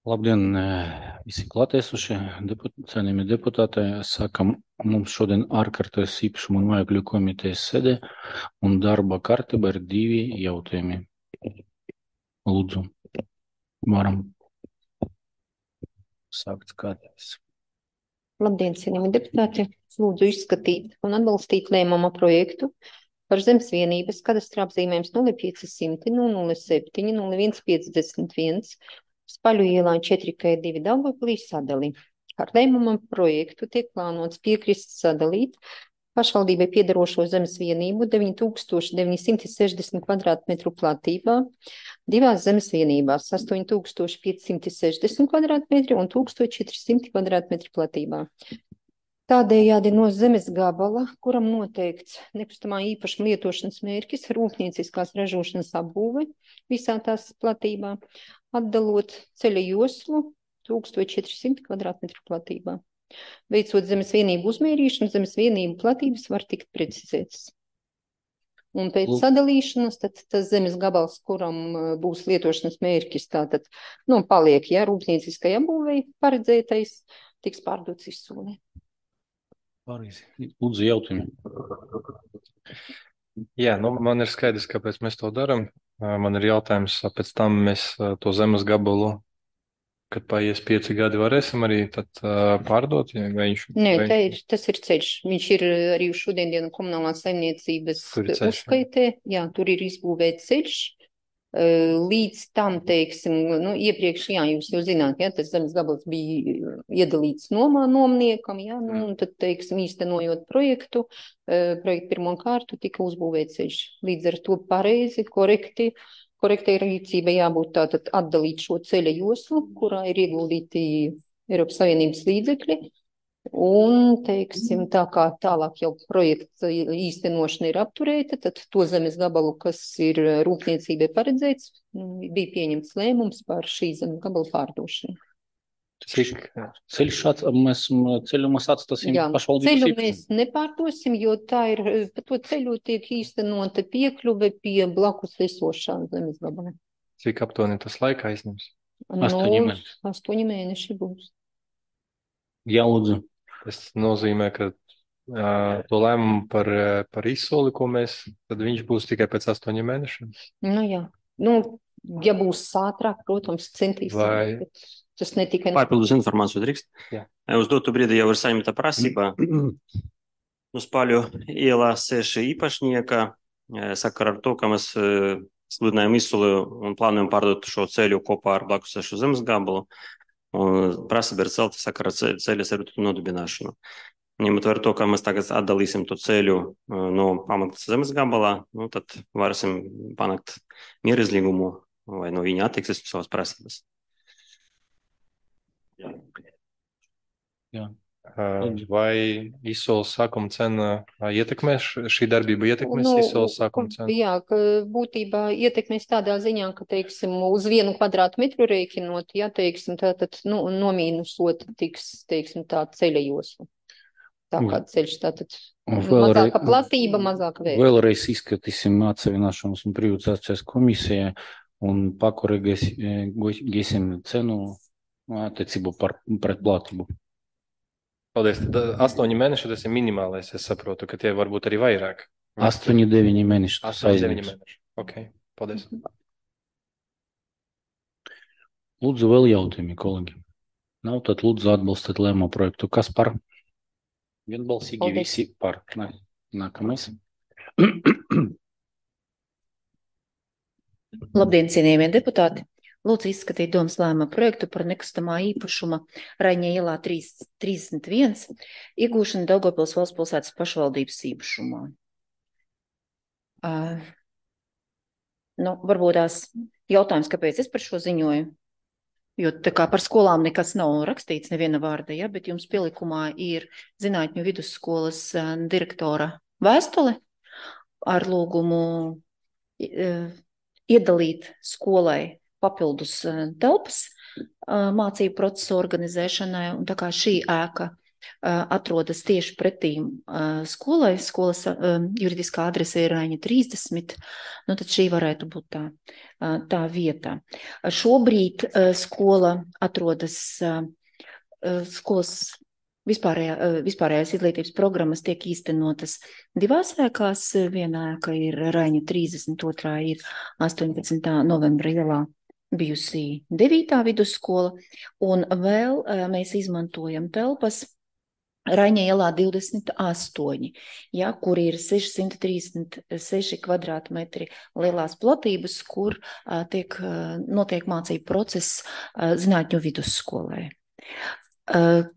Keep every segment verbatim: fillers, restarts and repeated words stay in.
Labdien, visi klātiesušie, deput, cienījamie deputāti. Sākam mums šodien ārkārtas īpašuma un mājokļu komitejas sēde un darba kārtība ir divi jautājumi. Lūdzu, varam sākt skatīties. Labdien, cienījamie deputāti! Lūdzu izskatīt un atbalstīt lēmuma projektu par zemes vienības kadastra apzīmējums nulle pieci simti nulle septiņi nulle viens piecdesmit viens Spaļu ielā četri K divi Daugavpilī sadali. Ar lēmuma projektu tiek plānots piekrist sadalīt pašvaldībai piedarošo zemes vienību deviņi tūkstoši deviņi simti sešdesmit kvadrātmetru platībā divās zemes vienībās astoņi tūkstoši pieci simti sešdesmit kvadrātmetri un tūkstoš četri simti kvadrātmetri platībā. Tādējādi no zemes gabala, kuram noteikts nekustamā īpašuma lietošanas mērķis rūpnieciskās ražošanas apbūve visā tās platībā, atdalot ceļa joslu tūkstoš četri simti kvadrātmetru platībā. Veicot zemes vienību uzmērīšanu, zemes vienību platības var tikt precizētas. Un pēc Lūk. sadalīšanas, tad tas zemes gabals, kuram būs lietošanas mērķis, tātad, nu, paliek, ja, rūpnieciskai apbūvei paredzētais, tiks pārdots izsolē. Lūdzu, jautājumi. Jā, nu, man ir skaidrs, kāpēc mēs to darām. Man ir jautājums, pēc tam mēs to zemes gabalu, kad paies pieci gadi, varēsim arī tad uh, pārdot? Ja, vai viņš, Nē, vai... tā ir, tas ir ceļš. Viņš ir arī šodien dienu komunālās saimniecības uzskaitē. Jā, tur ir izbūvēts ceļš. Līdz tam, teiksim, nu, iepriekš, jā, jūs jau zināt, ja, tas zemes gabals bija iedalīts nomā nomniekam, jā, nu, un tad, teiksim, īstenojot projektu, projektu pirmo kārtu tika uzbūvēts ceļš. Līdz ar to pareizi, korekti, korektai rīcībai jābūt tātad atdalīt šo ceļa joslu, kurā ir ieguldīti Eiropas Savienības līdzekļi. Un, teiksim, tā kā tālāk jau projekta īstenošana ir apturēta, tad to zemes gabalu, kas ir rūpniecībai paredzēts, bija pieņemts lēmums par šī zemes gabalu pārdošanu. Cik ceļš šāds, mēs ceļu mēs atstāsim pašvaldības ceļu īpašumu? mēs nepārdosim, jo tā ir, pa to ceļu tiek īstenota piekļuve pie blakus esošā zemes gabala. Cik aptuveni tas laika aizņems? Astoņi Nu, mēneši. astoņi mēneši būs. Jā, lūdzu. Tas nozīmē, ka uh, to lēmumu par, par izsoli, ko mēs, tad viņš būs tikai pēc astoņiem mēnešiem? Nu jā, nu, ja būs ātrāk, protams, centīsim. Vai... Tas netika... Pārpildus informāciju drīkst. Jā. Uz dotu brīdi jau ir saņemta prasība. Uz Spaļu ielā seši īpašnieka sakara ar to, ka mēs sludinājam izsoli un plānojam pārdot šo ceļu kopā ar blakus sešu zemes gabalu. Un prasība ir celta sakara ceļa servitutu nodibināšanu. Ņemot vērā to, ka mēs tagad atdalīsim to ceļu no pamatas zemes gabalā, nu, tad varēsim panākt mierizlīgumu vai no viņa attieksmes savas prasības. Jā. Jā. Vai izsoles sākuma cena ietekmēs, šī darbība ietekmēs nu, izsoles sākuma cenu? Jā, ka būtībā ietekmēs tādā ziņā, ka, teiksim, uz vienu kvadrātmetru rēķinot, ja, teiksim, tātad, nu, nomīnusot tiks, teiksim, tā ceļa josla. Tā kā ceļš, tātad Vēlreiz, mazāka platība, mazāka vērtība. Vēlreiz izskatīsim atsevināšanas un privatizācijas komisijai un pakorigēsim cenu attiecību par pret platību. Paldies. Tad astoņi mēneši tas ir minimālais, es saprotu, ka tie varbūt arī vairāk. Astoņi, deviņi mēneši. Astoņi, deviņi mēneši. Ok, paldies. Lūdzu, vēl jautājumi, kolēģi. Nav, tad lūdzu atbalstīt lēmumu projektu. Kas par? Vienbalsīgi Paldies. Visi par. Nā, nākamais. Labdien, cienījamie deputāti! Lūdzu izskatīt domas lēmuma projektu par nekustamā īpašuma Raņa ielā trīsdesmit viens iegūšanu Daugavpils valsts pilsētas pašvaldības īpašumā. Uh, nu, varbūt tās jautājums, kāpēc es par šo ziņoju, jo tā kā par skolām nekas nav rakstīts neviena vārda, ja, bet jums pielikumā ir Zinātņu vidusskolas uh, direktora vēstule ar lūgumu uh, iedalīt skolai papildus telpas mācību procesu organizēšanai, un tā kā šī ēka atrodas tieši pretīm skolai. Skolas juridiskā adrese ir Raiņa trīsdesmit, nu tad šī varētu būt tā, tā vieta. Šobrīd skola atrodas, skolas vispārējā, vispārējās izglītības programmas tiek īstenotas divās ēkās. Vienā ēka ir Raiņa trīsdesmit, otrā ir astoņpadsmitā novembra ielā bijusī devītā vidusskola, un vēl mēs izmantojam telpas Raiņa ielā divdesmit astoņi, ja, kur ir sešsimt trīsdesmit seši kvadrātmetri lielās platības, kur uh, tiek, uh, notiek mācību process uh, zinātņu vidusskolē. Uh,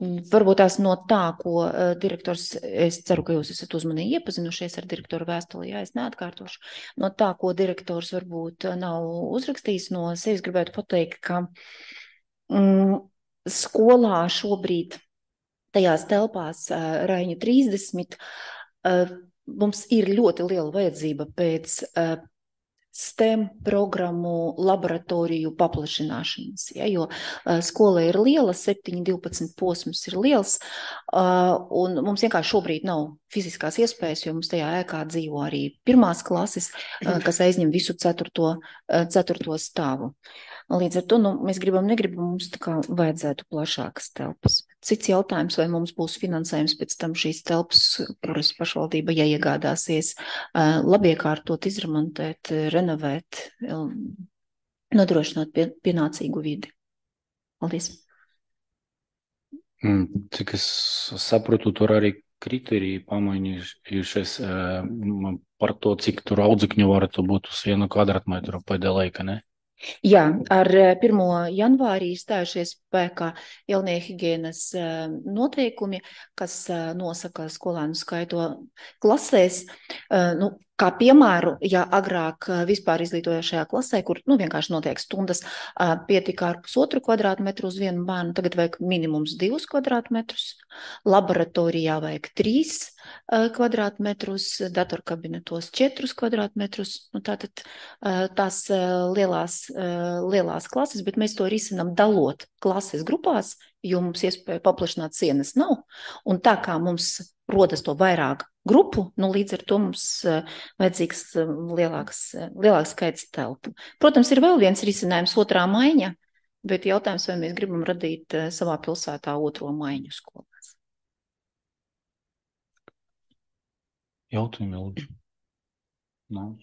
Varbūt tās no tā, ko uh, direktors, es ceru, ka jūs esat uzmanīgi iepazinušies ar direktoru vēstuli, jā, es neatkārtošu. No tā, ko direktors varbūt nav uzrakstījis, no sevis gribētu pateikt, ka mm, skolā šobrīd tajās telpās uh, Raiņa trīsdesmit uh, mums ir ļoti liela vajadzība pēc uh, STEM programmu laboratoriju paplašināšanas, ja, jo uh, skola ir liela, septiņi divpadsmit posms ir liels, uh, un mums vienkārši šobrīd nav fiziskās iespējas, jo mums tajā ēkā dzīvo arī pirmās klases, uh, kas aizņem visu ceturto, uh, ceturto stāvu. Līdz ar to nu, mēs gribam, negribam, mums tā kā vajadzētu plašākas telpas. Cits jautājums, vai mums būs finansējums pēc tam šīs telpas, kuras pašvaldība, ja iegādāsies, labiekārtot, izremontēt, renovēt, nodrošināt pie, pienācīgu vidi. Paldies. Cik es saprotu, tur arī kriteriji pamainījušies par to, cik tur audzekņu varētu būt uz vienu kvadrātmetru pēdējā laika, ne? Jā, ar pirmo janvārī stājušies spēkā jaunie higienas noteikumi, kas nosaka skolēnu skaitu klasēs. Nu, kā piemēru, ja agrāk vispār izglītojošajā klasē, kur nu, vienkārši notiek stundas, pietika ar pusotru kvadrātmetru uz vienu bērnu, tagad vajag minimums divus kvadrātmetrus, laboratorijā vajag trīs kvadrātmetrus, datorkabinetos četrus kvadrātmetrus, nu, tātad tās lielās, lielās klases, bet mēs to risinam dalot klases grupās, jo mums iespēja paplašināt sienas nav, un tā kā mums rodas to vairāk grupu, nu līdz ar to mums vajadzīgs lielāks, lielāks skaits telpu. Protams, ir vēl viens risinājums, otrā maiņa, bet jautājums, vai mēs gribam radīt savā pilsētā otro maiņu skolās. Jautājumi, lūdzu. Nav.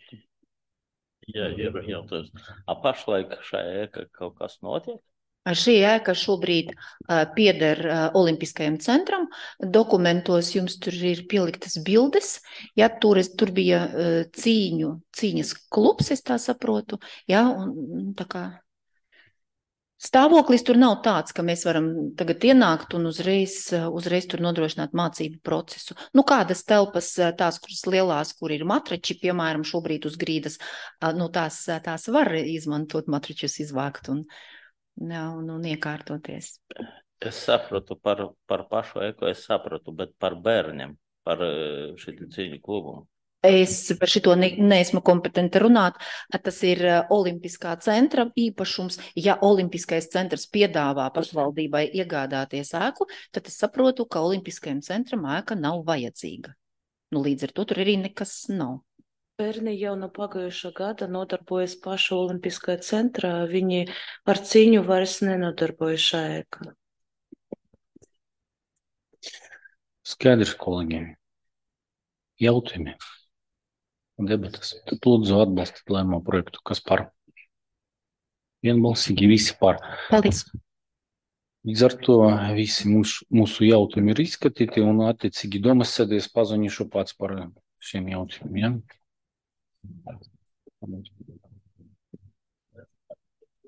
Jā, ir jautājums. A pašlaik šajā ēka kaut kas notiek? Šī ēka šobrīd uh, pieder uh, Olimpiskajam centram. Dokumentos jums tur ir pieliktas bildes. Ja, tur, es, tur bija uh, cīņu, cīņas klubs, es tā saprotu. Ja, un, tā kā stāvoklis tur nav tāds, ka mēs varam tagad ienākt un uzreiz, uzreiz tur nodrošināt mācību procesu. Nu, kādas telpas, tās, kuras lielās, kur ir matrači, piemēram, šobrīd uz grīdas, uh, nu, tās, tās var izmantot matračus izvākt un Un, un iekārtoties. Es sapratu par, par pašu eko, es sapratu, bet par bērniem, par šitiem cīņu klubumu. Es par šito ne, neesmu kompetenta runāt. Tas ir Olimpiskā centra īpašums. Ja Olimpiskais centrs piedāvā pašvaldībai iegādāties ēku, tad es saprotu, ka Olimpiskajam centram ēka nav vajadzīga. Nu, līdz ar to tur arī nekas nav. Bērni jau no pagājušā gada nodarbojas pašu Olimpiskajā centrā. Viņi ar cīņu vairs nenodarbojas šajā ēkā. Skaidrs, kolēģiem. Jautājumi. Debatas. Tad lūdzu atbalstīt lēmumu projektu. Kas par? Vienbalsīgi visi par. Paldies. Līdz ar to visi mūsu, mūsu jautājumi ir izskatīti un attiecīgi domas sēdēs paziņošu pats par šiem jautājumiem. Ja?